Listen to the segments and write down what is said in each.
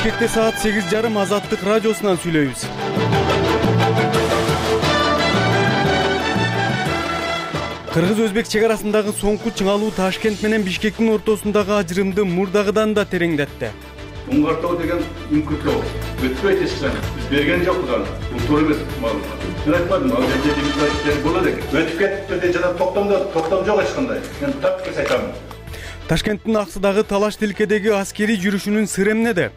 Бишкекте саат 8:30 Азаттык радиосунан сүйлөйбүз. Кыргыз-Өзбек чек арасындагы соңку чыңалуу Ташкент менен Бишкектин ортосундагы ажырымды мурдагыдан да тереңдетти. Уңгартоо деген үңкүртөө өтпөйт эсен. Биз берген жокпуз аны. Бул туура эмес маалымат. Мен айтмадым, ал жерде демократия болот экен. Өтүп кетипти деп жана токтом жок эч кандай. Мен так айтамын. Ташкенттин аксыдагы Талаш-Тилкедеги аскерий жүрүшүнүн сыры эмнеде?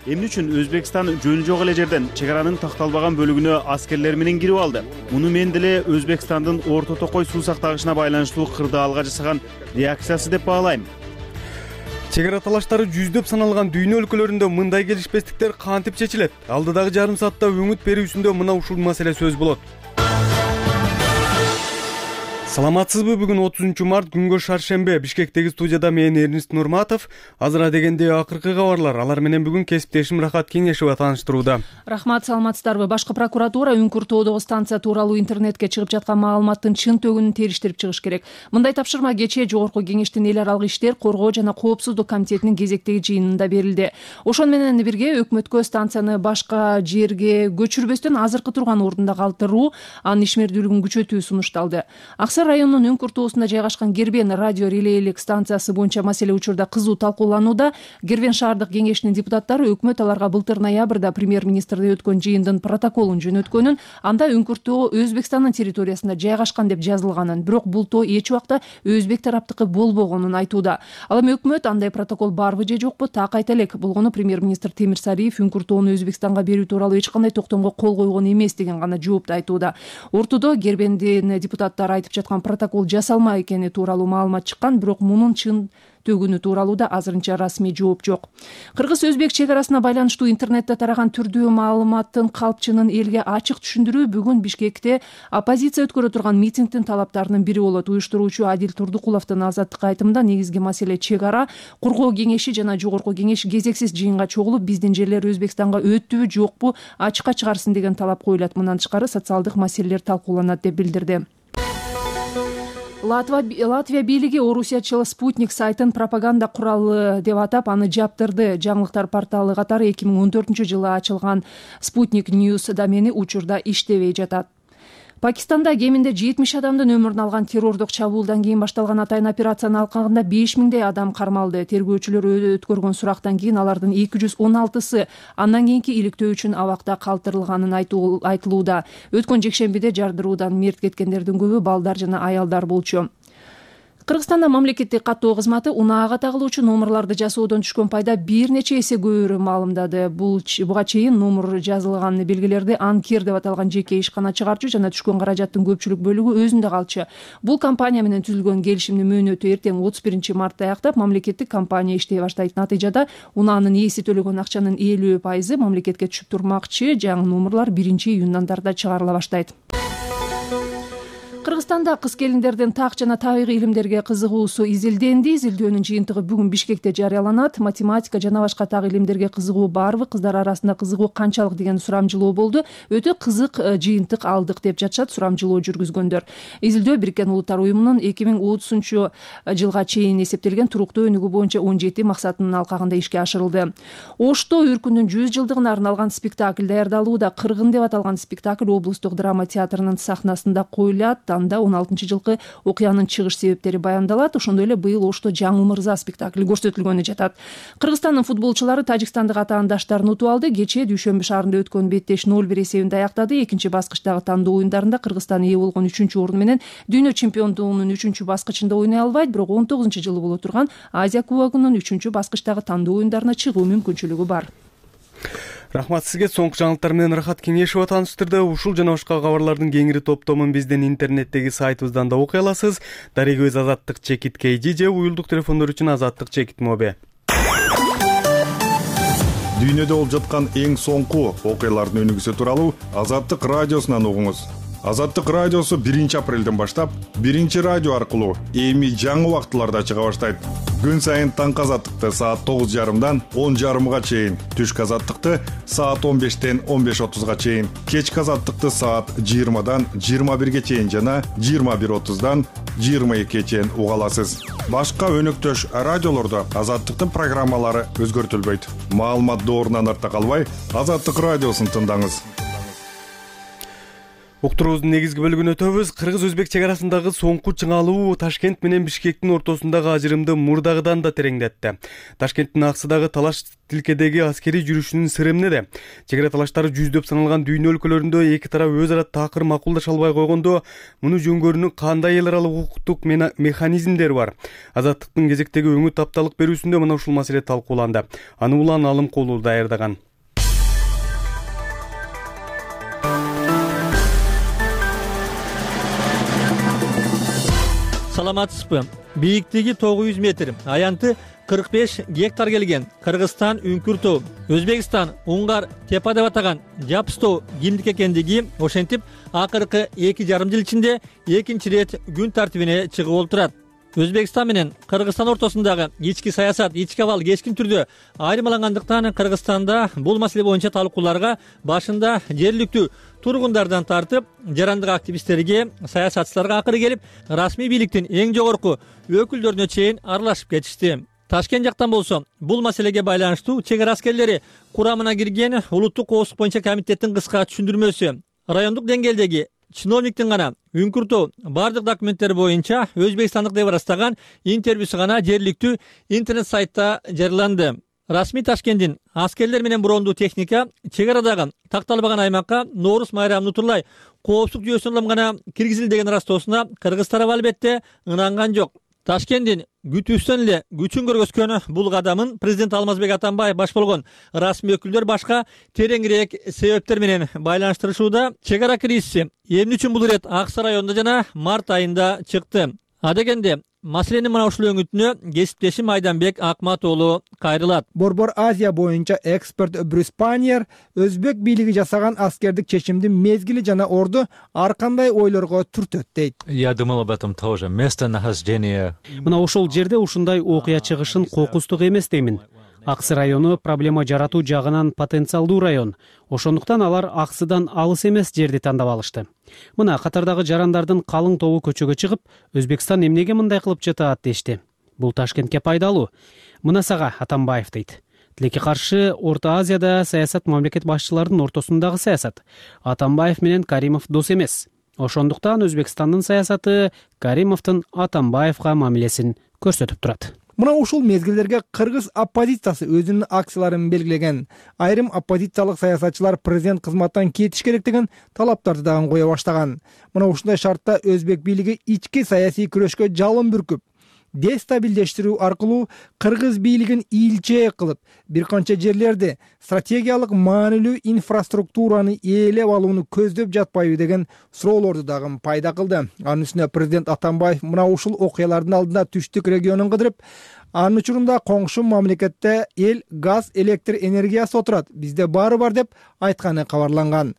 Эмне үчүн Өзбекстан жөн жок эле жерден чек аранын такталбаган бөлүгүнө аскерлер менен кирип алды? Муну мен деле Өзбекстандын Орто Токой суу сактагычына байланыштуу кырдаалга жасаган реакциясы деп баалайм. Чек ара талаштары жүздөп саналган дүйнө өлкөлөрүндө мындай келишпестиктер кантип чечилет? Алдыдагы жарым саатта өңүт берүүсүндө мына ушул маселе сөз болот. Саламатсызбы? Бүгүн 30 март күнгө шаршембе. Бишкектеги студияда мен Эрнист Нурматов. Азыр дегенде акыркы кабарлар. Алар менен бүгүн кесиптешим Рахат Кеңешева тааныштырууда. Рахмат, саламатсыздарбы? Башкы прокуратура Үңкүртөдөгү станция тууралуу интернетке чыгып жаткан маалыматтын чын төгүнүн териштирип чыгыш керек. Мындай тапшырма кечээ Жогорку Кеңештин эл аралык иштер, коргоо жана коопсуздук комитетинин кезектеги жыйынында берилди. Ошону менен бирге өкмөткө станцияны башка жерге көчүрбөстөн азыркы турган ордунда калтыруу, анын ишмердүүлүгүн күчөтүү сунушталды. Районунун Үңкүр тоосунда жайгашкан Гербен радио релейлик станциясы боюнча маселе учурда кызуу талкууланууда. Гербен шаардык кеңешинин депутаттары өкмөт аларга былтыр ноябрда премьер-министрде өткөн жыйындын протоколун жөнөткөнүн, анда Үңкүр тоо Өзбекстандын территориясында жайгашкан деп жазылганын, бирок бул тоо эч убакта Өзбек тараптыкы болбогонун айтууда. Ал эми өкмөт андай протокол барбы же жокпу так айта элек. Болгону премьер-министр Темир Сариев Үңкүр тоону Өзбекстанга берүү тууралуу эч кандай токтомго кол койгон эмес деген гана жоопту айтууда. Ортодо Гербендин депутаттары айтып жаткан протокол жасалма экени тууралуу маалымат чыккан, бирок мунун чын төгүнү тууралуу да азырынча расмий жооп жок. Кыргыз-Өзбек чек арасына байланыштуу интернетте тараган түрдүү маалыматтын калпчынын элге ачык түшүндүрүү бүгүн Бишкекте оппозиция өткөрө турган митингдин талаптарынын бири болот. Уюштуруучу Адил Турдукуловдун Азаттыкка айтымында негизги маселе чек ара, коргоо кеңеши жана жогорку кеңеш кезексиз жыйынга чогулуп, биздин жерлер Өзбекстанга өттүбү жокпу ачыкка чыгарсын деген талап коюлат. Мындан тышкары социалдык маселелер талкууланат деп билдирди. Латвия бийлиги орусиячыл Спутник сайтын пропаганда куралы деп атап, аны жаптырды. Жаңылыктар порталы катары 2014-жылы ачылган Спутник News домени учурда иштебей жатат. Пакистанда кеминде 70 адамдын өмүрүн алган террордук чабуулдан кийин башталган атайын операциянын алкагында 5000дей адам кармалды. Тергөөчүлөр өткөргөн сурактан кийин алардын 216сы андан кийинки иликтөө үчүн абакта калтырылганын айтылууда. Өткөн жекшембиде жардыруудан мерт кеткендердин көбү балдар жана аялдар болчу. Кыргызстанда мамлекеттик каттоо кызматы унаага тагылуучу номерларды жасоодон түшкөн пайда бир нече эсе көбүрөөк маалымдады. Буга чейин номер жазылган белгилерди анкер деп аталган жеке ишкана чыгарчу жана түшкөн каражаттын көпчүлүк бөлүгү өзүндө калчу. Бул компания менен түзүлгөн келишимдин мөөнөтү эртең 31 мартта аяктап, мамлекеттик компания иштей баштайт. Натыйжада унаанын ээси төлөгөн акчанын 50% мамлекетке түшүп турмакчы. Жаңы номерлар 1-июндан тарта чыгарыла баштайт. Кыргызстанда кыз келиндердин так жана табигый илимдерге кызыгуусу изилденди. Изилдөөнүн жыйынтыгы бүгүн Бишкекте жарыяланат. Математика жана башка так илимдерге кызыгуу барбы, кыздар арасында кызыгуу канчалык деген сурамжылоо болду. Өтө кызык жыйынтык алдык деп жатышат сурамжылоо жүргүзгөндөр. Изилдөө Бириккен Улуттар уюмунун 2030-жылга чейин эсептелген туруктуу өнүгүү боюнча 17 максатынын алкагында ишке ашырылды. Ошто Үркүндүн 100 жылдыгына арналган спектакль даярдалууда. Кыргын деп аталган спектакль облустук драма театрынын сахнасында коюлат. Анда 16-жылкы окуянын чыгыш себептери баяндалат. Ошондой эле быйыл Ошто Жаңы мырза спектакли көрсөтүлгөнү жатат. Кыргызстандын футболчулары тажикстандык атаандаштарын утуп алды. Кечээ Дүйшөмбү шаарында өткөн беттеш 0-1 эсебинде аяктады. Экинчи баскычтагы тандоо оюндарында Кыргызстан ээ болгон 3-орун менен дүйнө чемпиондугунун 3-баскычында ойной албайт, бирок 19-жылы боло турган Азия кубогунун 3-баскычтагы тандоо оюндарына чыгуу мүмкүнчүлүгү бар. Рахмат сизге. Соңку жаңылыктар менен Рахат Кеңешева тааныштырды. Ушул жана башка кабарлардын кеңири топтомун биздин интернеттеги сайтыбыздан да окуй аласыз. Дарегөз Азаттык чекит KG же уюлдук телефондор үчүн Азаттык чекит Моби. Дүйнөдө болуп жаткан эң соңку окуялардын өнүгүүсү тууралуу Азаттык радиосунан угуңуз. Азаттык радиосу 1-апрелден баштап 1-радио аркылуу эми жаңы убактыларда чыга баштайт. Күн сайын таңкы Азаттыкты саат 9:30-дан 10:30 чейин, түшкү Азаттыкты саат 15-тен 15:30 чейин, кечки Азаттыкты саат 20-дан 21 чейин жана 21:30-дан 22 чейин уга аласыз. Башка өнөктөш радиолордо Азаттыктын программалары өзгөртүлбөйт. Маалымат доорунан арта калбай, Азаттык радиосун тыңдаңыз. Уктуруубуздун негизги бөлүгүнө өтөбүз. Кыргыз-Өзбек чек арасындагы соңку чыңалуу Ташкент менен Бишкектин ортосундагы ажырымды мурдагыдан да тереңдетти. Ташкенттин аксыдагы талаш тилкедеги аскерий жүрүшүнүн сыры эмнеде? Чек ара талаштары жүздөп саналган дүйнө өлкөлөрүндө эки тарап өз ара такыр макулдаша албай койгондо, муну жөнгөрүүнүн кандай эл аралык укуктук механизмдери бар? Азаттыктын кезектеги өңү тапталык берүүсүндө мына ушул маселе талкууланды. Аны Улан Алымкулов даярдаган. Саламатсызбы? Бийиктиги 900 метр, аянты 45 гектар келген Кыргызстан Үңкүр Өзбекстан Уңгар Тепа деп атаган Жапстоо кимдик экендиги ошентип акыркы 2,5 жыл ичинде экинчи рет күн тартибине чыгып олтурат. Өзбекстан менен Кыргызстан ортосундагы ички саясат, ички абал кескин түрдө айырмалангандыктан Кыргызстанда бул маселе боюнча талкууларга башында жергиликтүү тургундардан тартып, жарандык активисттерге, саясатчыларга акыры келип, расмий бийликтин эң жогорку өкүлдөрүнө чейин аралашып кетишти. Ташкент жактан болсо, бул маселеге байланыштуу чек ара аскерлери курамына кирген улуттук коопсуздук боюнча комитеттин кыска түшүндүрмөсү, райондук деңгээлдеги чиновниктин гана Үңкүртөө бардык документтер боюнча өзбекстандык деп ырастаган интервьюсу гана жергиликтүү интернет сайтта жарыяланды. Расмий Ташкенттин аскерлер менен брондуу техника чек арадагы такталбаган аймакка Нооруз майрамын утурлай коопсуздук жүйөсүнө улам гана киргизилди деген ырастоосуна кыргыз тарабы албетте ынанган жок. Ташкенттин күтүүсүнөн эле күчүн көргөзгөн бул кадамын президент Алмазбек Атамбаев баш болгон расмий өкүлдөр башка тереңирээк себептер менен байланыштырышууда. Чек ара кризиси эмне үчүн бул ирет Аксы районунда жана март айында чыкты? Адегенде маселенин мына ушул өңүтүнө кесиптешим Айданбек Акматоолу кайрылат. Борбор Азия боюнча эксперт Брюс Паньер өзбек бийлиги жасаган аскердик чечимдин мезгили жана орду ар кандай ойлорго түртөт дейт. Я думал об этом тоже. Местонахождение. Мына ошол жерде ушундай окуя чыгышын кокустук эмес деймин. Аксы району проблема жаратуу жагынан потенциалдуу район. Ошондуктан алар Аксыдан алыс эмес жерди тандап алышты. Мына катардагы жарандардын калың тобу көчөгө чыгып, Өзбекстан эмнеге мындай кылып жатат дешти. Бул Ташкентке пайдалуу. Мына сага Атамбаев дейт. Тилекке каршы Орто Азияда саясат мамлекет башчыларынын ортосундагы саясат. Атамбаев менен Каримов дос эмес. Ошондуктан Өзбекстандын саясаты Каримовдун Атамбаевга мамилесин көрсөтүп турат. Мына ушул мезгилдерге кыргыз оппозициясы өзүнүн акцияларын белгилеген. Айрым оппозициялык саясатчылар президент кызматтан кетиш керек деген талаптарды дагы кое баштаган. Мына ушундай шартта өзбек бийлиги ички саясий күрөшкө жалын бүркүп, дестабилдештирүү аркылуу кыргыз бийлигин ийилчээ кылып, бир канча жерлерди стратегиялык маанилүү инфраструктураны ээлеп алууну көздөп жатпайбы деген суроолорду дагы пайда кылды. Анын үстүнө президент Атамбаев мына ушул окуялардын алдында түштүк регионун кыдырып, анын учурунда коңшу мамлекетте эл газ, электр энергиясы отурат, бизде баары бар деп айтканы кабарланган.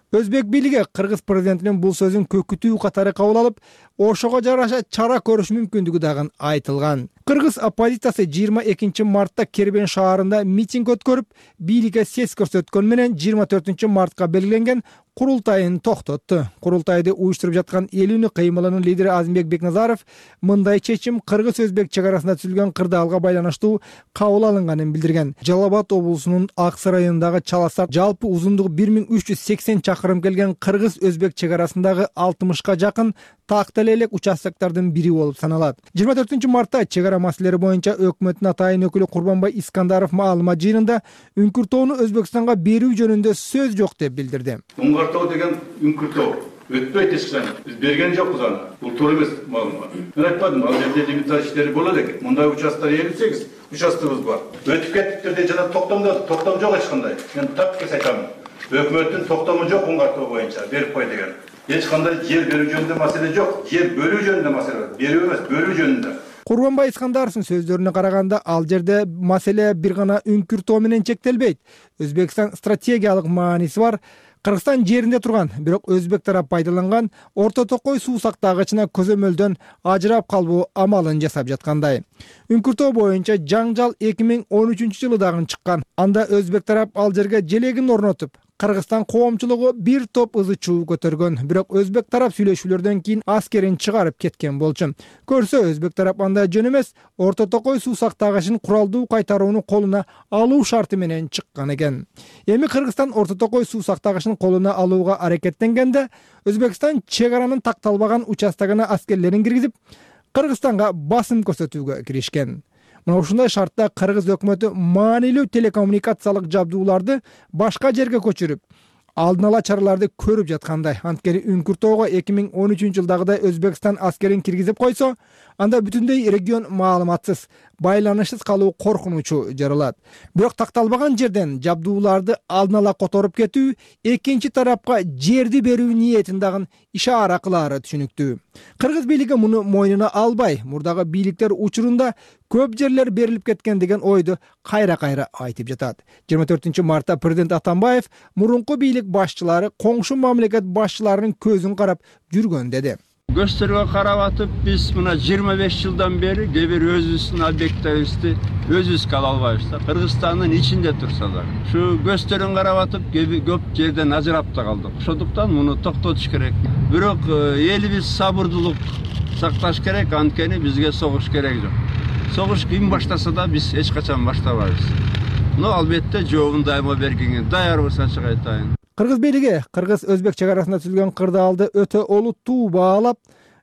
Өзбек бийлиги кыргыз президентинин бул сөзүн көкүтүү катары кабыл алып, ошого жараша чара көрүш мүмкүндүгү дагы айтылган. Кыргыз оппозициясы 22 мартта Кербен шаарында митинг өткөрүп, бийликке сес көрсөткөн менен 24 мартка белгиленген курултайын токтотту. Курултайды уюштуруп жаткан Эл үнү кыймылынын лидери Азимбек Бекназаров мындай чечим кыргыз-өзбек чек арасында түзүлгөн кырдаалга байланыштуу кабыл алынганын билдирген. Жалал Абад облусунун Аксы районундагы Чаласар жалпы узундугу 1380 чакырым келген кыргыз-өзбек чек арасындагы 60ка жакын тактел элек участоктардын бири болуп саналат. 24 мартта чек ара маселелери боюнча өкмөттүн атайын өкүлү Курбанбай Искандаров маалымат жыйынында Үңкүртөөну Өзбекстанга берүү жөнүндө сөз жок деп билдирди. Уңгартоо деген Үңкүртөө өтпөйт эчкачан. Биз берген жокпуз аны. Бул туура эмес маалымат. Мен айтпадым, ал жерде лимиттер иштери болот экен. Мындай участоктор 58 участогубуз бар. Өтүп кеттиктер жана токтом жок эч кандай. Мен так айтам. Өкмөттүн токтому жок Уңгартоо боюнча берип кой деген. Эч кандай жер берүү жөнүндө маселе жок. Жер бөлүү жөнүндө маселе бар. Берүү эмес, бөлүү жөнүндө. Курбанбай Искандаровдун сөздөрүнө караганда, ал жерде маселе бир гана Үңкүртөө менен чектелбейт. Өзбекстан стратегиялык мааниси бар. Кыргызстан жеринде турган, бирок өзбек тарап пайдаланган Орто Токой суу сактагычына көзөмөлдөн ажырап калбоо амалын жасап жаткандай. Үңкүртөө боюнча жаңжал 2013 жылы дагы чыккан. Анда өзбек тарап ал жерге желегин орнотуп, Кыргызстан коомчулугу бир топ ызы чуу көтөргөн, бирок өзбек тарап сүйлөшүүлөрдөн кийин аскерин чыгарып кеткен болчу. Көрсө өзбек тарап андай жөн эмес, Орто Токой суу сактагычын куралдуу кайтарууну колуна алуу шарты менен чыккан экен. Эми Кыргызстан Орто Токой суу сактагычын колуна алууга аракеттенгенде Өзбекстан чек аранын такталбаган участогуна аскерлерин киргизип, Кыргызстанга басым көрсөтүүгө киришкен. Мына ушундай шартта кыргыз өкмөтү маанилүү телекоммуникациялык жабдууларды башка жерге көчүрүп, алдын ала чараларды көрүп жаткандай. Анткени Үңкүртөөгө 2013 жылдагыдай Өзбекстан аскерин киргизип койсо, анда бүтүндөй регион маалыматсыз, байланышсыз калуу коркунучу жаралат. Бирок такталбаган жерден жабдууларды алдын ала которуп кетүү экинчи тарапка жерди берүү ниетин дагы ишара кылаары түшүнүктүү. Кыргыз бийлиги муну мойнуна албай, мурдагы бийликтер учурунда көп жерлер берилип кеткен деген ойду кайра-кайра айтып жатат. 24 мартта президент Атамбаев мурунку бийлик башчылары коңшу мамлекет башчыларынын көзүн карап жүргөн деди. Gösteriye karabatıp biz buna 25 yıldan beri gebir özüsün obyektlerimizi özüs kalalbayızda. Kırgızistan'ın içinde tursalar. Şu gösterin karabatıp köp yerden azırapta kaldık. Şoduktan bunu toktatuş gerek. Bürok elimiz sabırlılık saktaş gerek, ankeni bizge soğuş gerek yok. Soğuş kim başlasa da biz hiç kaçan başlamayız. No albatta cevabın daima bergenge dayar olsa çıkaytayın. Кыргыз бийлиги кыргыз-өзбек чек арасында түзүлгөн кырдаалды өтө олуттуу баалап,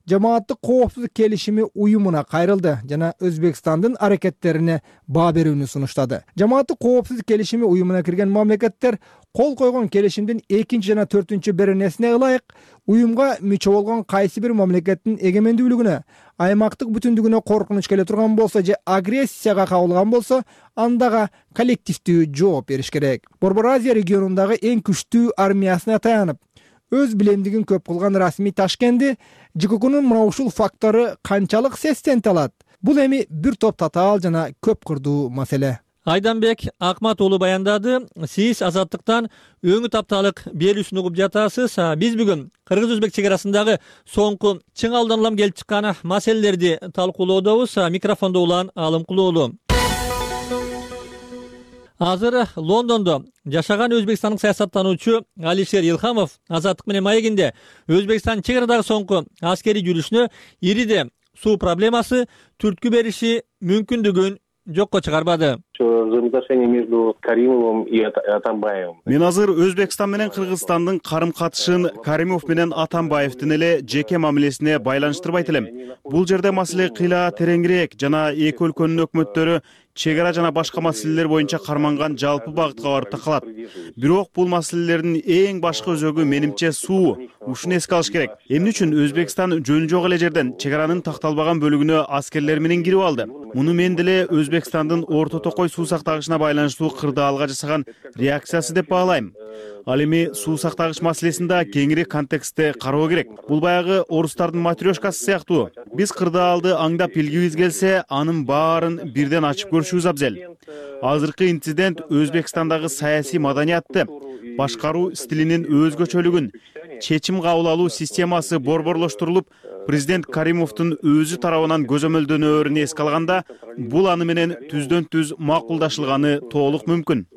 жамааттык коопсуздук келишими уюмуна кайрылды жана Өзбекстандын аракеттерине баа берүүнү сунуштады. Жамааттык коопсуздук келишими уюмуна кирген мамлекеттер кол койгон келишимдин 2 жана 4 беренесине ылайык уюмга мүчө болгон кайсы бир мамлекеттин эгемендүүлүгүнө, аймактык бүтүндүгүнө коркунуч келе турган болсо же агрессияга кабылган болсо, андага коллективдүү жооп бериш керек. Борбор Азия регионундагы эң күчтүү армиясына таянып, өз билемдигин көп кылган расмий Ташкенти ЖККнын мына ушул фактору канчалык сестенте алат? Бул эми бир топ татаал жана көп кырдуу маселе. Айданбек Акмат уулу баяндады. Сиз азаттыктан өңү тапталык берүүсүн угуп жатасыз. Биз бүгүн кыргыз-өзбек чек арасындагы соңку чың алдан улам келип чыккан маселелерди талкуулоодобуз. Микрофондо улан Алымкулуулу. Азыр Лондондо жашаган өзбекстандык саясаттануучу Алишер Илхамов азаттык менен маегинде Өзбекстан чек арадагы соңку аскерий жүрүшүнө ириде суу проблемасы түрткү бериши мүмкүндүгүн жокко чыгарбады. Мен азыр Өзбекстан менен Кыргызстандын карым-катышын Каримов менен Атамбаевдин эле жеке мамилесине байланыштырбайт элем. Бул жерде маселе кыйла тереңирээк жана эки өлкөнүн өкмөттөрү чек ара жана башка маселелер боюнча карманган жалпы багытка барып такалат. Бирок бул маселелердин эң башкы өзөгү менимче суу. Ушуну эске алыш керек. Эмне үчүн Өзбекстан жөнү жок эле жерден чек аранын такталбаган бөлүгүнө аскерлер менен кирип алды? Муну мен деле Өзбекстандын Орто Токой суу сактагычына байланыштуу кырдаалга жасаган реакциясы деп баалайм. Ал эми суу сактагыч маселесин да кеңири контекстте кароо керек. Бул баягы орустардын матрёшкасы сыяктуу. Биз кырдаалды аңдап билгибиз келсе, анын баарын бирден ачып көрүшүбүз абзел. Азыркы инцидент Өзбекстандагы саясий маданиятты, башкаруу стилинин өзгөчөлүгүн, чечим кабыл алуу системасы борборлоштурулуп, президент Каримовдун өзү тарабынан көзөмөлдөнөөрүн эске алганда, бул аны менен түздөн-түз макулдашылганы толук мүмкүн.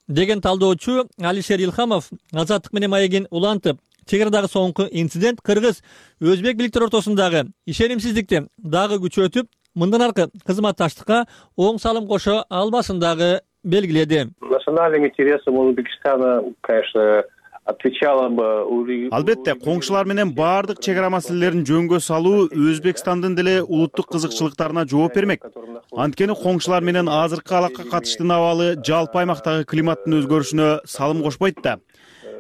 Деген талдоочу Алишер Илхамов азаттык менен маегин улантып, чек арадагы соңку инцидент кыргыз-өзбек бийликтер ортосундагы ишенимсиздикти дагы күчөтүп, мындан аркы кызматташтыкка оң салым кошо албасын дагы белгиледи. Национальным интересам Узбекистана, конечно, Албетте, коңшулар менен баардык чек ара маселелерин жөнгө салуу Өзбекстандын деле улуттук кызыкчылыктарына жооп бермек. Анткени коңшулар менен азыркы алакка катыштын абалы жалпы аймактагы климаттын өзгөрүшүнө салым кошпойт да.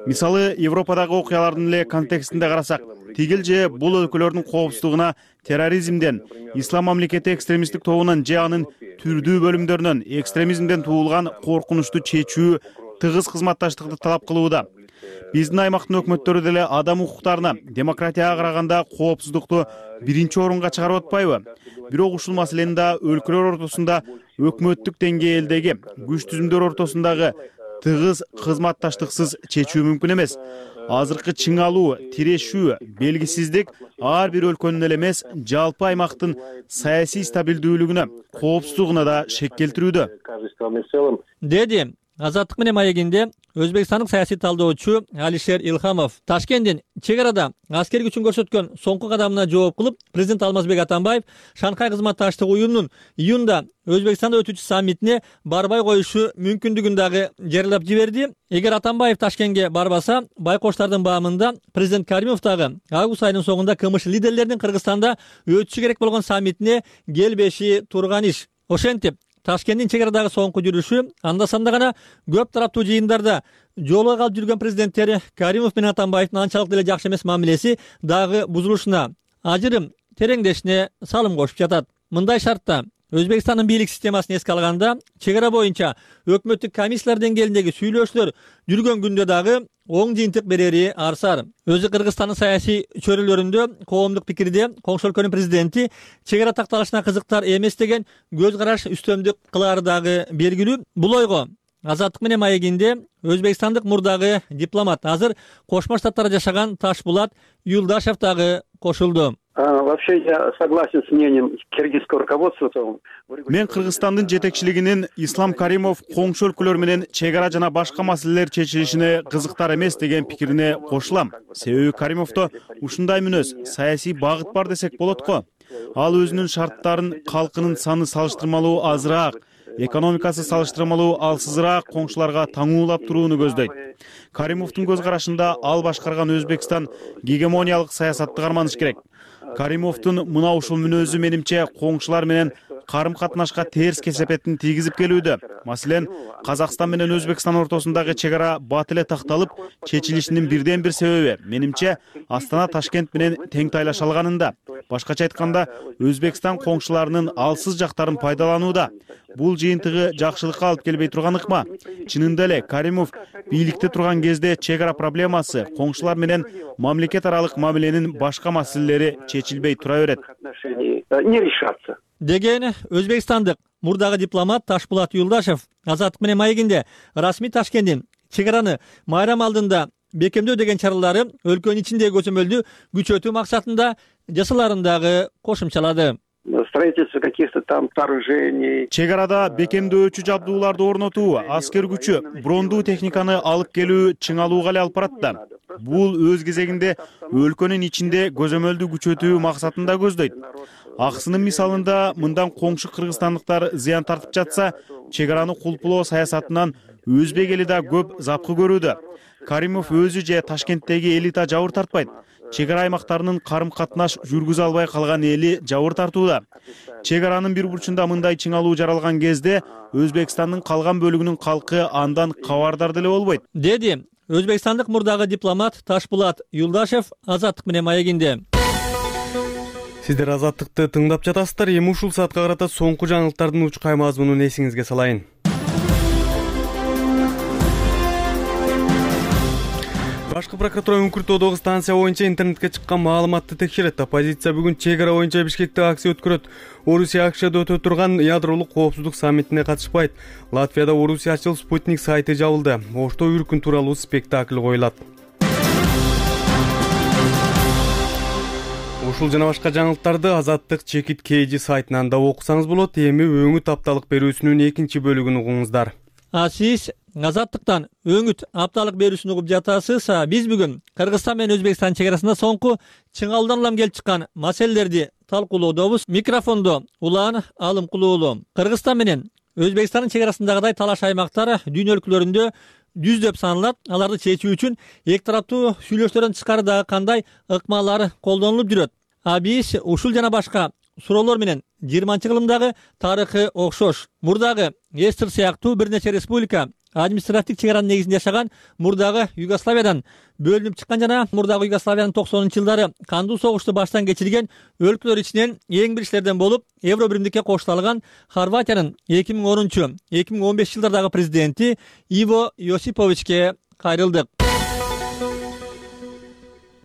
Мисалы, Европадагы окуялардын эле контекстинде карасак, тигил же бул өлкөлөрдүн коопсуздугуна терроризмден, ислам мамлекети экстремисттик тобунан же анын түрдүү бөлүмдөрүнөн экстремизмден туулган коркунучту чечүү тыгыз кызматташтыкты талап кылууда. Биздин аймактын өкмөттөрү деле адам укуктарына, демократияга караганда коопсуздукту биринчи орунга чыгарып атпайбы? Бирок ушул маселени да өлкөлөр ортосунда өкмөттүк деңгээлдеги күч түзүмдөр ортосундагы тыгыз кызматташтыксыз чечүү мүмкүн эмес. Азыркы чың алуу, тирешүү, белгисиздик ар бир өлкөнүн эле эмес, жалпы аймактын саясий стабилдүүлүгүнө, коопсуздугуна да шек келтирүүдө. Деди Азаттык менен маегинде Өзбекстандык саясий талдоочу Алишер Илхамов Ташкенттин чек арада аскер күчүн көрсөткөн соңку кадамына жооп кылып, президент Алмазбек Атамбаев Шанхай кызматташтык уюмунун июнда Өзбекстанда өтүүчү саммитине барбай коюшу мүмкүндүгүн дагы жарыялап жиберди. Эгер Атамбаев Ташкентке барбаса, байкоштардын баамында президент Каримов дагы август айынын соңунда КМШ лидерлеринин Кыргызстанда өтүшү керек болгон саммитине келбеши турган иш. Ошентип Ташкенттин чек арадагы соңку жүрүшү анда-санда гана көп тараптуу жыйындарда жолго калып жүргөн президенттери Каримов менен Атамбаевдин анчалык деле жакшы эмес мамилеси дагы бузулушуна, ажырым тереңдешине салым кошуп жатат. Мындай шартта Өзбекстандын бийлик системасын эске алганда, чек ара боюнча өкмөттүк комиссиялар деңгээлиндеги сүйлөшүүлөр жүргөн күндө дагы оң жыйынтык берери арсар. Өзү Кыргызстандын саясий чөйрөлөрүндө коомдук пикирде коңшу өлкөнүн президенти чек ара такталышына кызыктар эмес деген көз караш үстөмдүк кылаары дагы белгилүү. Бул ойго Азаттык менен маегинде өзбекстандык мурдагы дипломат, азыр Кошмо Штаттарда жашаган Ташбулат Юлдашев дагы кошулду. Вообще я согласен с мнением киргизского руководства. Мен Кыргызстандын жетекчилигинин Ислам Каримов коңшу өлкөлөр менен чек ара жана башка маселелер чечилишине кызыктар эмес деген пикирине кошулам. Себеби Каримовдо ушундай мүнөз, саясий багыт бар десек болот го. Ал өзүнүн шарттарын калкынын саны салыштырмалуу азыраак, экономикасы салыштырмалуу алсызыраак коңшуларга таңуулап турууну көздөйт. Каримовдун көз карашында ал башкарган Өзбекстан гегемониялык саясатты карманыш керек. Каримовдун мына ушул мүнөзү менимче коңшулар менен карым катнашка терс кесепетин тийгизип келүүдө. Маселен, Казакстан менен Өзбекстан ортосундагы чек ара бат эле такталып, чечилишинин бирден бир себеби менимче Астана Ташкент менен тең тайлаша алганында. Башкача айтканда, Өзбекстан коңшуларынын алсыз жактарын пайдаланууда. Бул жыйынтыгы жакшылыкка алып келбей турган ыкма. Чынында эле Каримов бийликте турган кезде чек ара проблемасы, коңшулар менен мамлекет аралык мамиленин башка маселелери чечилбей тура берет. Не решаться. Деген өзбекстандык мурдагы дипломат Ташбулат Юлдашев Азаттык менен маегинде расмий Ташкенттин чек араны майрам алдында бекемдөө деген чаралары өлкөнүн ичиндеги көчөмөлдү күчөтүү максатында жасаларын дагы кошумчалады. Строительство каких-то там сооружений. Чек арада бекемдөөчү жабдууларды орнотуу, аскер күчү, брондуу техниканы алып келүү чыңалууга эле алып барат да. Бул өз кезегинде өлкөнүн ичинде көзөмөлдү күчөтүү максатында көздөйт. Аксынын мисалында мындан коңшу кыргызстандыктар зыян тартып жатса, чек араны кулпулоо саясатынан өзбек эли да көп запкы көрүүдө. Каримов өзү же Ташкенттеги элита жабыр тартпайт. Чек ара аймактарынын карым катнаш жүргүзө албай калган эли жабыр тартууда. Чек аранын бир бурчунда мындай чыңалуу жаралган кезде Өзбекстандын калган бөлүгүнүн калкы андан кабардар деле болбойт, деди өзбекстандык мурдагы дипломат Ташбулат Юлдашев Азаттык менен маегинде. Сиздер Азаттыкты тыңдап жатасыздар. Эми ушул саатка карата соңку жаңылыктардын учкай мазмунун эсиңизге салайын. Башкы прокуратура Үңкүртөөдөгү станция боюнча интернетке чыккан маалыматты текшерет. Оппозиция бүгүн чек ара боюнча Бишкекте акция өткөрөт. Орусия Акшада өтө турган ядролук коопсуздук саммитине катышпайт. Латвияда Орусиячыл Спутник сайты жабылды. Ошто үркүн тууралуу спектакль коюлат. Ушул жана башка жаңылыктарды Азаттык Чекит KG сайтынан да окусаңыз болот. Эми өңүт апталык берүүсүнүн экинчи бөлүгүн угуңуздар. Сиз Азаттыктан өңүт апталык берүүсүн угуп жатасыз. Биз бүгүн Кыргызстан менен Өзбекстан чек арасында соңку чыңалуудан улам келип чыккан маселелерди талкуулоодобуз. Микрофондо Улан Алымкулуулу. Кыргызстан менен Өзбекстандын чек арасындагыдай талаш аймактар дүйнө өлкөлөрүндө жүздөп саналат. Аларды чечүү үчүн эки тараптуу сүйлөшүүлөрдөн тышкары дагы кандай ыкмалар колдонулуп жүрөт? Биз ушул жана башка суроолор менен 20-кылымдагы тарыхы окшош. Мурдагы СССР сыяктуу бир нече республика административдик чек аранын негизинде жашаган мурдагы Югославиядан бөлүнүп чыккан жана мурдагы Югославиянын 90-жылдары кандуу согушту баштан кечирген өлкөлөр ичинен эң биричилерден болуп, Евро биримдикке кошула алган Хорватиянын 2010-2015 жылдардагы президенти Иво Јосиповичке кайрылдык.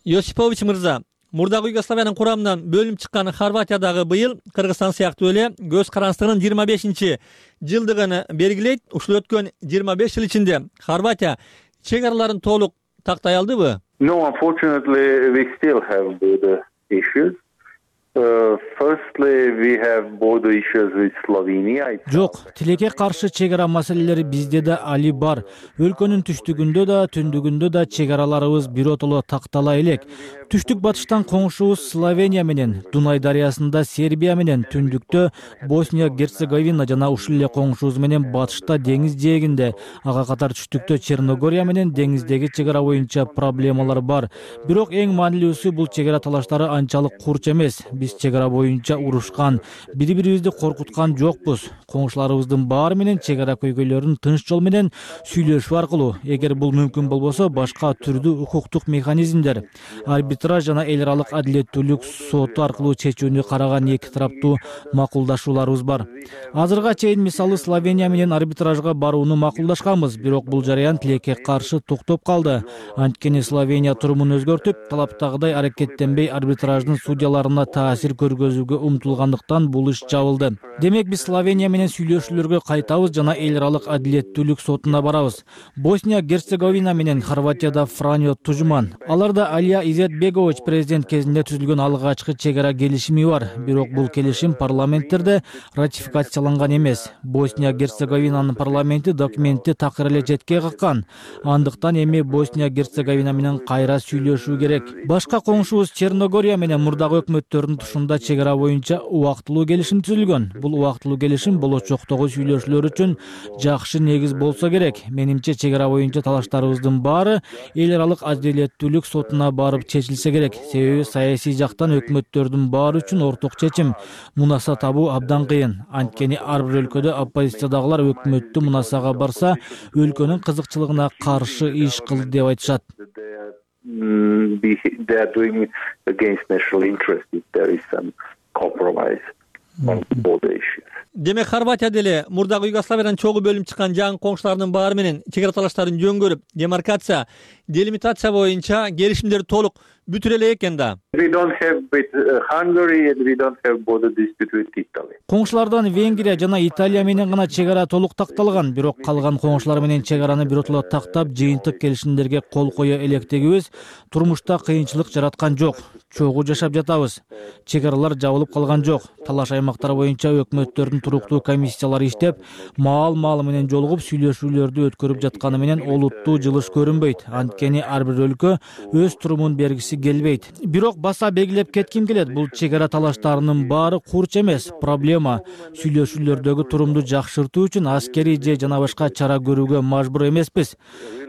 Јосипович мырза, мурдагы Югославиянын курамынан бөлүнүп чыккан Хорватиядагы быйыл Кыргызстан сыяктуу эле көз карандысынын 25 жылдыгын белгилейт. Ушул өткөн 25 жыл ичинде Хорватия чек араларын толук тактай алдыбы? No, unfortunately, we still have the issues. Жок, тилекке каршы чек ара маселелери бизде да али бар. Өлкөнүн түштүгүндө да, түндүгүндө да чек араларыбыз биротоло тактала элек. Түштүк батыштан коңшубуз Словения менен, Дунай дарыясында Сербия менен, түндүктө Босния Герцеговина жана ушул эле коңшубуз менен батышта деңиз жээгинде, ага катар түштүктө Черногория менен деңиздеги чек ара боюнча проблемалар бар. Бирок эң маанилүүсү бул чек ара талаштары анчалык курч эмес. Биз чек ара боюнча урушкан, бири-бирибизди коркуткан жокпуз. Коңшуларыбыздын баары менен чек ара көйгөйлөрүн тынч жол менен сүйлөшүү аркылуу, эгер бул мүмкүн болбосо, башка түрдүү укуктук механизмдер, арбитраж жана эл аралык адилеттүүлүк соту аркылуу чечүүнү караган эки тараптуу макулдашууларыбыз бар. Азырга чейин мисалы Словения менен арбитражга барууну макулдашканбыз, бирок бул жараян тилекке каршы токтоп калды. Анткени Словения турумун өзгөртүп, талаптагыдай аракеттенбей арбитраждын судьяларына таасир көргөзүүгө умтулгандыктан бул иш жабылды. Демек биз Словения менен сүйлөшүүлөргө кайтабыз жана эл аралык адилеттүүлүк сотуна барабыз. Босния Герцеговина менен Хорватияда Франьо Тужман. Аларда Алия Изетбегович президент кезинде түзүлгөн алгачкы чек ара келишими бар, бирок бул келишим парламенттерде ратификацияланган эмес. Босния Герцеговинанын парламенти документти такыр эле четке каккан. Андыктан эми Босния Герцеговина менен кайра сүйлөшүү керек. Башка коңшубуз Черногория менен мурдагы өкмөттөрдүн тушунда чек ара боюнча убактылуу келишим түзүлгөн. Бул убактылуу келишим болочоктогу сүйлөшүүлөр үчүн жакшы негиз болсо керек. Менимче чек ара боюнча талаштарыбыздын баары эл аралык адилеттүүлүк сотуна барып чечилсе керек. Себеби саясий жактан өкмөттөрдүн баары үчүн орток чечим мунаса табуу абдан кыйын. Анткени ар бир өлкөдө оппозициядагылар өкмөттү мунасага барса, өлкөнүн кызыкчылыгына каршы иш кылды деп айтышат. Демек Хорватия деле мурдагы Югославиядан чогуу бөлүнүп чыккан жаңы коңшуларынын баары менен чек ара талаштарын жөн көрүп, демаркация, делимитация боюнча келишимдер толук бүтүрө элек экен да. Коңшулардан Венгрия жана Италия менен гана чек ара толук такталган, бирок калган коңшулар менен чек араны биротоло тактап, жыйынтык келишимдерге кол кое электигибиз турмушта кыйынчылык жараткан жок. Чогуу жашап жатабыз. Чек аралар жабылып калган жок. Талаш аймактар боюнча өкмөттөрдүн туруктуу комиссиялары иштеп, маал менен жолугуп сүйлөшүүлөрдү өткөрүп жатканы менен олуттуу жылыш көрүнбөйт. Анткени ар бир өлкө өз турумун бергиси келбейт. Бирок баса белгилеп кетким келет, бул чек ара талаштарынын баары курч эмес. Проблема сүйлөшүүлөрдөгү турумду жакшыртуу үчүн аскерий же жана башка чара көрүүгө мажбур эмеспиз.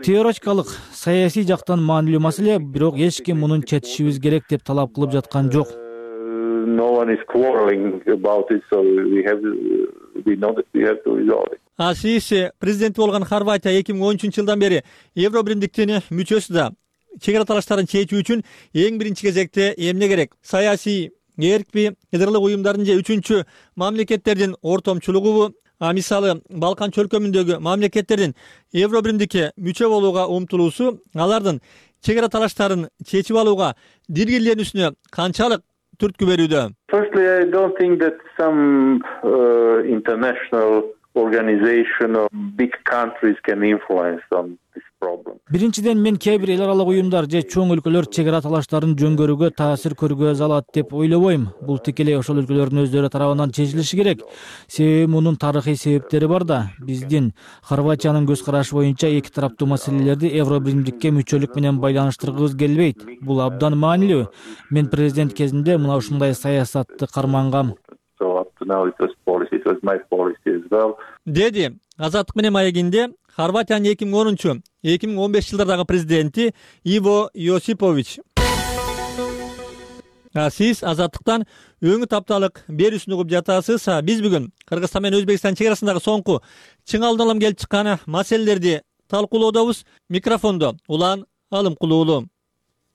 Теоретикалык, саясий жактан маанилүү маселе, бирок эч ким мунун четишибиз керек деп талап кылып жаткан жок. Сиз президенти болгон Хорватия 2013-жылдан бери Евро биримдиктин мүчөсү да. Чек ара талаштарын чечүү үчүн эң биринчи кезекте эмне керек? Саясий эркби, ядырлык уюмдардын же үчүнчү мамлекеттердин ортомчулугубу? Мисалы Балкан чөлкөмүндөгү мамлекеттердин Евро биримдикке мүчө болууга умтулуусу алардын чек ара талаштарын чечип алууга диргирленүүсүнө канчалык түрткү берүүдө? Firstly, I don't think that some international organization or big countries can influence on this problem. Биринчиден, мен кээ бир эл аралык уюмдар же чоң өлкөлөр чек ара талаштарын жөн көрүүгө таасир көргөзө алат деп ойлобойм. Бул тикелей ошол өлкөлөрдүн өздөрү тарабынан чечилиши керек. Себеби мунун тарыхый себептери бар да. Биздин Хорватиянын көз карашы боюнча эки тараптуу маселелерди Евро биримдикке мүчөлүк менен байланыштыргыбыз келбейт. Бул абдан маанилүү. Мен президент кезинде мына ушундай саясатты кармангам. Деди Азаттык менен маегинде Хорватиянын 2010-2015 жылдардагы президенти Иво Јосипович. Сиз Азаттыктан өңү тапталык берүүсүн угуп жатасыз. Биз бүгүн Кыргызстан менен Өзбекстан чек арасындагы соңку чың алдын келип чыккан маселелерди талкуулоодобуз. Микрофондо Улан Алымкулуулу.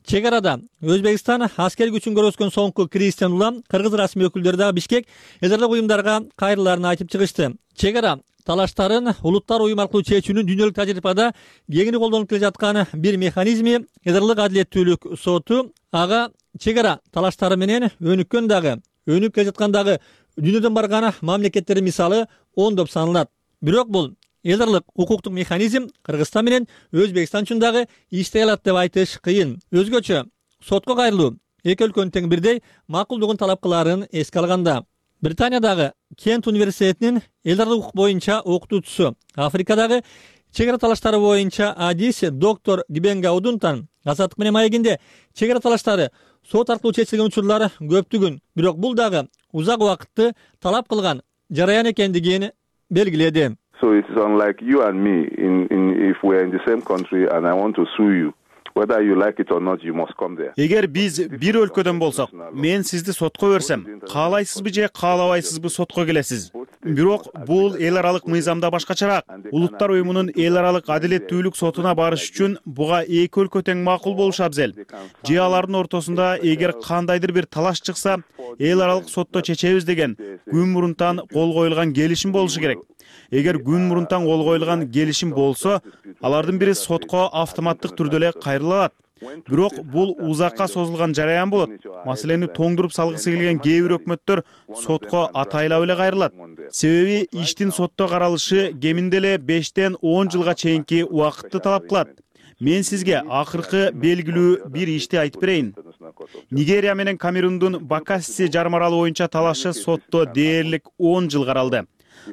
Чек арада Өзбекстан аскер күчүн көрсөткөн соңку Кристиан Улам кыргыз расмий өкүлдөрү да Бишкек ядырлык уюмдарга кайрылаарын айтып чыгышты. Чек ара талаштарын улуттар уюму аркылуу чечүүнүн дүйнөлүк тажрыйбада кеңири колдонуп келе жаткан бир механизми ядырлык адилеттүүлүк соту. Ага чек ара талаштары менен өнүп келе жаткандагы дүйнөдөн барган мамлекеттердин мисалы ондоп саналат. Бирок бул ядырлык укуктук механизм Кыргызстан менен Өзбекстан үчүн дагы иштей алат деп айтыш кыйын. Өзгөчө сотко кайрылуу эки өлкөнүн тең бирдей макулдугун талап кылаарын эске алганда. Британиядагы Кент университетинин эл аралык укук боюнча окутуучусу, Африкадагы чек ара талаштары боюнча адиси доктор Гибенга Одунтан Азаттык менен маегинде чек ара талаштары сот аркылуу чечилген учурлар көптүгүн, бирок бул дагы узак убакытты талап кылган жараян экендигин белгиледи. So it is unlike you and me if we are in the same country and I want to sue you. Whether you like it or not, you must come there. Эгер биз бир өлкөдөн болсок, мен сизди сотко берсем, каалайсызбы же каалабайсызбы сотко келесиз. Бирок бул эл аралык мыйзамда башкачараак. Улуттар уюмунун эл аралык адилеттүүлүк сотуна барыш үчүн буга эки өлкө тең макул болушу абзел. Же алардын ортосунда эгер кандайдыр бир талаш чыкса, эл аралык сотто чечебиз деген күн мурунтан кол коюлган келишим болушу керек. Эгер күн мурунтан кол коюлган келишим болсо, алардын бири сотко автоматтык түрдө эле кайрылат. Бирок бул узакка созулган жараян болот. Маселени тоңдуруп салгысы келген кээ бир өкмөттөр сотко атайлап эле кайрылат. Себеби иштин сотто каралышы кеминде эле 5-тен 10 жылга чейинки убакытты талап кылат. Мен сизге акыркы белгилүү бир ишти айтып берейин. Нигерия менен Камерундун Бакасси жарым аралы боюнча талашы сотто дээрлик 10 жыл каралды.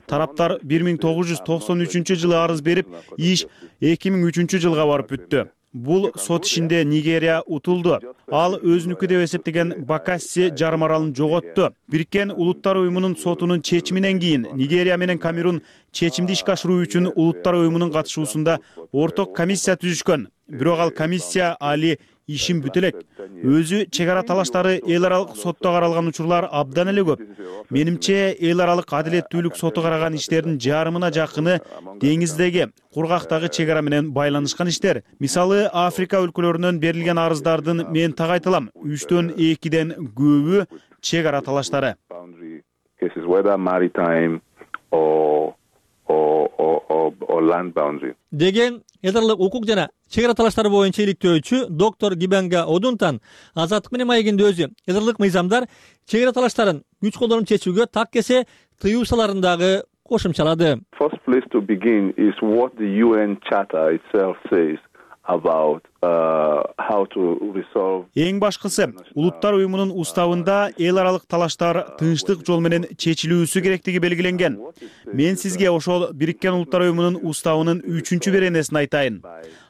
Тараптар 1993 жылы арыз берип, иш 2003 жылга барып бүттү. Бул сот ишинде Нигерия утулду. Ал өзүнүкү деп эсептеген Бакасси жарым аралын жоготту. Бириккен Улуттар уюмунун сотунун чечиминен кийин Нигерия менен Камерун чечимди ишке ашыруу үчүн Улуттар уюмунун катышуусунда орток комиссия түзүшкөн. Бирок ал комиссия али ишин бүтө элек. Өзү чек ара талаштары эл аралык сотто каралган учурлар абдан эле көп. Менимче эл аралык адилеттүүлүк соту караган иштердин жарымына жакыны деңиздеги, кургактагы чек ара менен байланышкан иштер. Мисалы, Африка өлкөлөрүнөн берилген арыздардын мен так айтылам, 3-төн 2-ден көбү чек ара талаштары. Деген эл аралык укук жана чек ара талаштары боюнча иликтөөчү доктор Гибенга Одунтан Азаттык менен маегинде өзү эл аралык мыйзамдар чек ара талаштарын күч колдонуп чечүүгө так кесе тыюу саларын дагы кошумчалады. First place to begin is what the UN Charter itself says about how to resolve. Эң башкысы, Улуттар уюмунун уставында эл аралык талаштар тынчтык жол менен чечилүүсү керектиги белгиленген. Мен сизге ошол Бириккен Улуттар уюмунун уставынын 3-беренесин айтайын.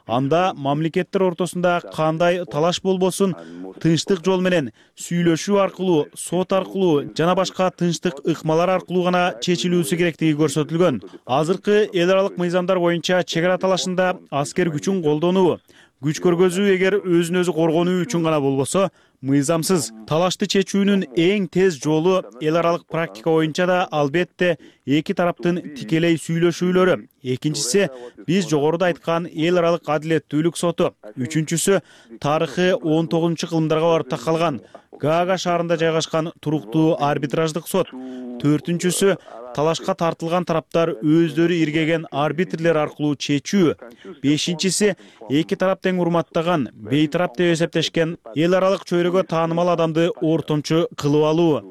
Анда мамлекеттер ортосунда кандай талаш болбосун, тынчтык жол менен сүйлөшүү аркылуу, сот аркылуу жана башка тынчтык ыкмалар аркылуу гана чечилүүсү керектиги көрсөтүлгөн. Азыркы эл аралык мыйзамдар боюнча чек ара талашында аскер күчүн колдонуу, күч көргөзүү эгер өзүн өзү коргонуу үчүн гана болбосо, мыйзамсыз. Талашты чечүүнүн эң тез жолу эл аралык практика боюнча да албетте эки тараптын тикелей сүйлөшүүлөрү. Экинчиси биз жогоруда айткан эл аралык адилеттүүлүк соту. Үчүнчүсү тарыхы 19-кылымдарга барып такалган Гаага шаарында жайгашкан туруктуу арбитраждык сот. Төртүнчүсү талашка тартылган тараптар өздөрү иргеген арбитрлер аркылуу чечүү. Бешинчиси эки тарап тең урматтаган, бейтарап деп эсептешкен эл аралык чөйрөгө таанымал адамды ортомчу кылып алуу.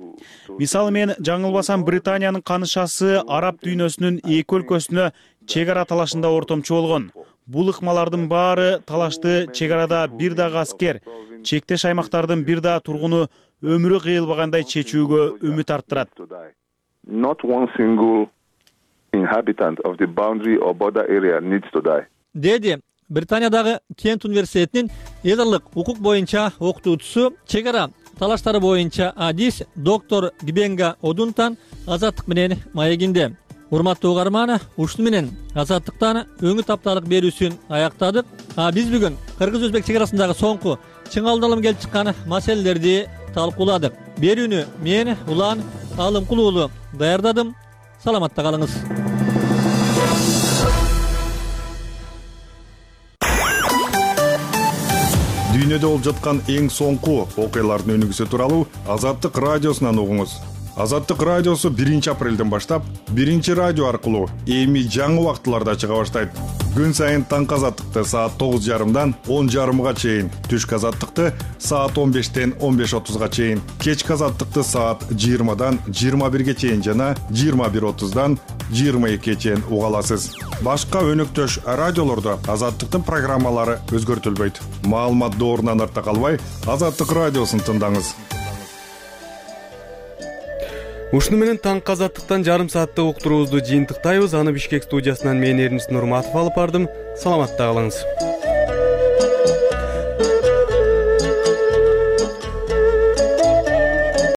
Мисалы, мен жаңылбасам Британиянын канышасы араб дүйнөсүнүн эки өлкөсүнө чек ара талашында ортомчу болгон. Бул ыкмалардын баары талашты чек арада бир дагы аскер, чектеш аймактардын бир да тургуну өмүрү кыйылбагандай чечүүгө үмүт арттырат. Not one single inhabitant of the boundary or border area needs to die. Деди Британиядагы Кент университетинин эл аралык укук боюнча окутуучусу, чек ара талаштары боюнча адис доктор Гибенга Одунтан Азаттык менен маегинде. Урматтуу угарман, ушуну менен Азаттыктан өңү тапталык берүүсүн аяктадык. Биз бүгүн кыргыз-өзбек чек арасындагы соңку чыңалдалым келип чыккан маселелерди талкууладык. Берүүнү мен Улан Алымкул уулу даярдадым. Саламатта калыңыз. Дүйнөдө болуп жаткан эң соңку окуялардын өнүгүүсү тууралуу Азаттык радиосунан угуңуз. Азаттык радиосу 1-апрелден баштап 1-радио аркылуу эми жаңы убактыларда чыга баштайт. Күн сайын таңкы азаттыкты саат 9:30дан 10:30га чейин, түшкү азаттыкты саат 15-тен 15:30га чейин, кечки азаттыкты саат 20-дан 21-ге чейин жана 21:30-дан 22 чейин уга аласыз. Башка өнөктөш радиолордо Азаттыктын программалары өзгөртүлбөйт. Маалымат доорунан артта калбай, Азаттык радиосун тыңдаңыз. Ушуну менен таңкы Азаттыктан жарым сааттык уктуруубузду жыйынтыктайбыз. Аны Бишкек студиясынан мен Эрнис Нурматов алып бардым. Саламатта калыңыз.